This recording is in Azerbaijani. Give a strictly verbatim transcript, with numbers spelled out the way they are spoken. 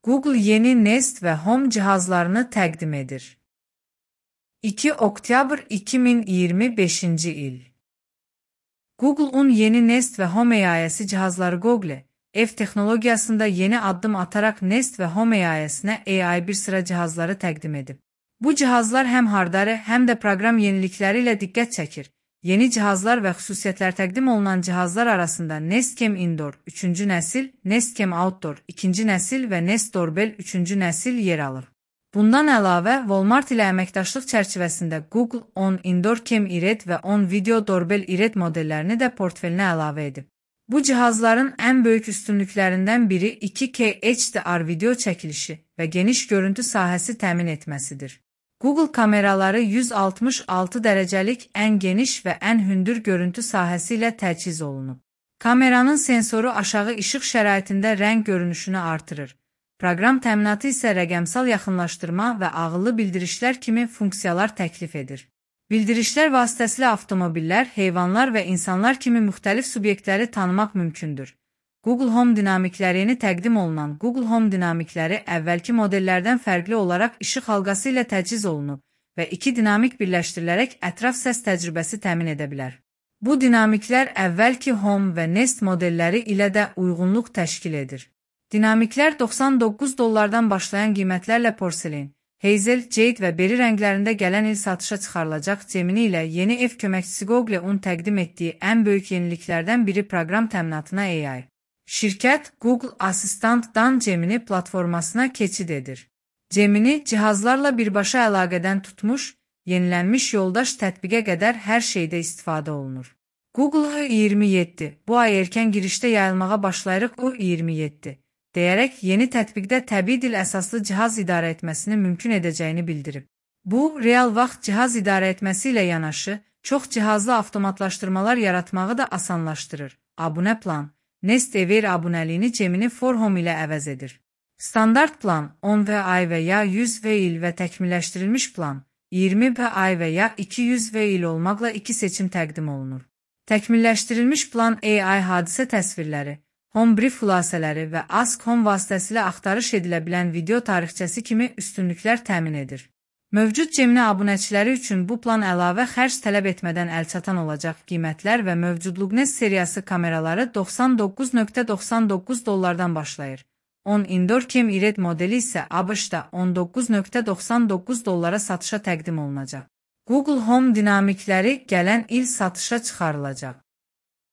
Google yeni Nest ve Home cihazlarını təqdim edir. iki oktyabr iki min iyirmi beşinci il. Google'un yeni Nest ve Home A I'si cihazları Google, ev texnologiyasında yeni addım atarak Nest ve Home A I'sinə A I bir sıra cihazları təqdim edib. Bu cihazlar həm hardware, həm də proqram yenilikləri ilə diqqət çəkir. Yeni cihazlar və xüsusiyyətlər təqdim olunan cihazlar arasında Nest Cam Indoor üçüncü nəsil, Nest Cam Outdoor ikinci nəsil və Nest Doorbell üçüncü nəsil yer alır. Bundan əlavə, Walmart ilə əməkdaşlıq çərçivəsində Google on Indoor Cam iRed və on Video Doorbell iRed modellərini də portfelinə əlavə edib. Bu cihazların ən böyük üstünlüklərindən biri iki K H D R video çəkilişi və geniş görüntü sahəsi təmin etməsidir. Google kameraları yüz altmış altı dərəcəlik ən geniş və ən hündür görüntü sahəsi ilə təchiz olunub. Kameranın sensoru aşağı işıq şəraitində rəng görünüşünü artırır. Proqram təminatı isə rəqəmsal yaxınlaşdırma və ağıllı bildirişlər kimi funksiyalar təklif edir. Bildirişlər vasitəsilə avtomobillər, heyvanlar və insanlar kimi müxtəlif subyektləri tanımaq mümkündür. Google Home dinamikləri yeni təqdim olunan Google Home dinamikləri əvvəlki modellərdən fərqli olaraq işıq halqası ilə təchiz olunub və iki dinamik birləşdirilərək ətraf səs təcrübəsi təmin edə bilər. Bu dinamiklər əvvəlki Home və Nest modelləri ilə də uyğunluq təşkil edir. Dinamiklər doxsan doqquz dollardan başlayan qiymətlərlə porselen, Hazel, Jade və Berry rənglərində gələn il satışa çıxarılacaq Gemini ilə yeni ev köməkçisi Google-un təqdim etdiyi ən böyük yeniliklərdən biri proqram təminatına A I. Şirkət Google Assistant-dan Gemini platformasına keçid edir. Gemini cihazlarla birbaşa əlaqədən tutmuş, yenilənmiş yoldaş tətbiqə qədər hər şeydə istifadə olunur. Google I iyirmi yeddi, bu ay erkən girişdə yayılmağa başlayırıq U iyirmi yeddi, deyərək yeni tətbiqdə təbii dil əsaslı cihaz idarə etməsini mümkün edəcəyini bildirib. Bu, real vaxt cihaz idarə etməsi ilə yanaşı, çox cihazlı avtomatlaşdırmalar yaratmağı da asanlaşdırır. Abunə plan Nest Aware abunəliyini Gemini for Home ilə əvəz edir. Standart plan on və ay və ya yüz və il və təkmilləşdirilmiş plan iyirmi və ay və ya iki yüz və il olmaqla iki seçim təqdim olunur. Təkmilləşdirilmiş plan A I hadisə təsvirləri, Home Brief xülasələri və Ask Home vasitəsilə axtarış edilə bilən video tarixçəsi kimi üstünlüklər təmin edir. Mövcud Gemini abunəçiləri üçün bu plan əlavə xərc tələb etmədən əlçatan olacaq qiymətlər və mövcudluq Nest seriyası kameraları doxsan doqquz dollars doxsan doqquz dollardan başlayır. on Indoor Cam iRed modeli isə ABŞ-da on doqquz dollars doxsan doqquz dollara satışa təqdim olunacaq. Google Home dinamikləri gələn il satışa çıxarılacaq.